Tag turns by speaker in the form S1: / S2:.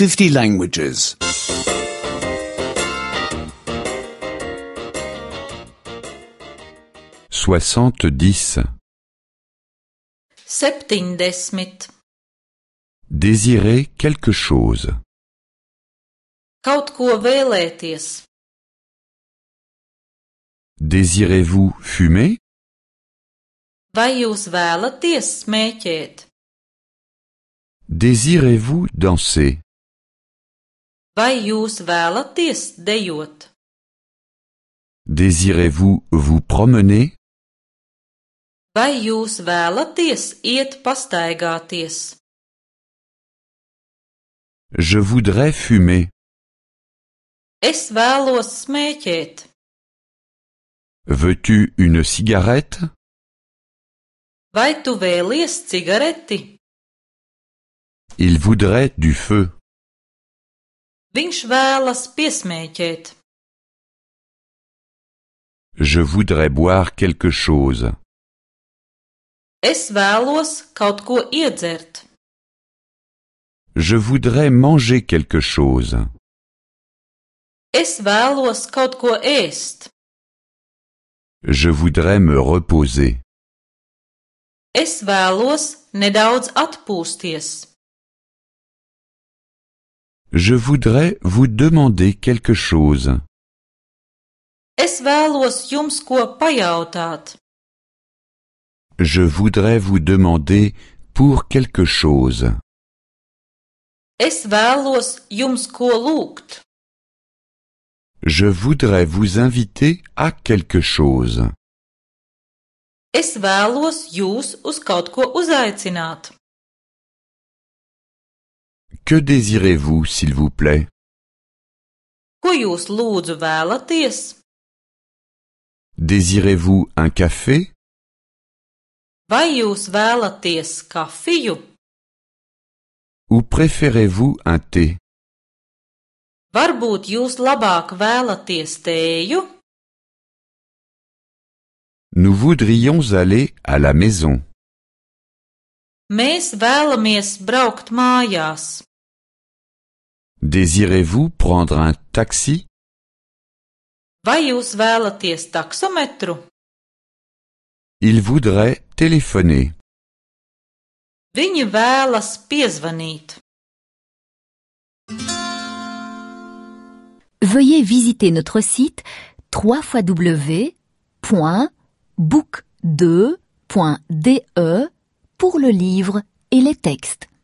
S1: 50 languages.
S2: 70.
S3: 70.
S2: Désirer quelque chose.
S3: Kaut ko vēlēties.
S2: Désirez-vous fumer?
S3: Vai jūs vēlaties smēķēt?
S2: Désirez-vous danser?
S3: Vai jūs vēlaties dejot?
S2: Désirez-vous vous promener?
S3: Vai jūs vēlaties iet pastaigāties?
S2: Je voudrais fumer.
S3: Es vēlos smēķēt.
S2: Veux-tu une cigarette?
S3: Vai tu vēlies cigareti?
S2: Il voudrait du feu.
S3: Viņš vēlas piesmēķēt.
S2: Je voudrais boire quelque chose.
S3: Es vēlos kaut ko iedzert.
S2: Je voudrais manger quelque chose.
S3: Es vēlos kaut ko ēst.
S2: Je voudrais me reposer.
S3: Es vēlos nedaudz atpūsties.
S2: Je voudrais vous demander quelque chose.
S3: Es vēlos jums ko pajautāt.
S2: Je voudrais vous demander pour quelque chose.
S3: Es vēlos jums ko lūgt.
S2: Je voudrais vous inviter à quelque chose.
S3: Es vēlos jūs uz kaut ko uzaicināt.
S2: Que désirez-vous, s'il vous plaît?
S3: Ko jūs lūdzu vēlaties?
S2: Désirez-vous un café?
S3: Vai jūs vēlaties kafiju?
S2: Ou préférez-vous un thé?
S3: Varbūt jūs labāk vēlaties tēju?
S2: Nous voudrions aller à la maison.
S3: Mēs vēlamies braukt mājās.
S2: Désirez-vous prendre un taxi?
S3: Vai jūs vēlaties taksometru?
S2: Il voudrait téléphoner.
S3: Viņi vēlas piezvanīt.
S4: Veuillez visiter notre site www.book2.de pour le livre et les textes.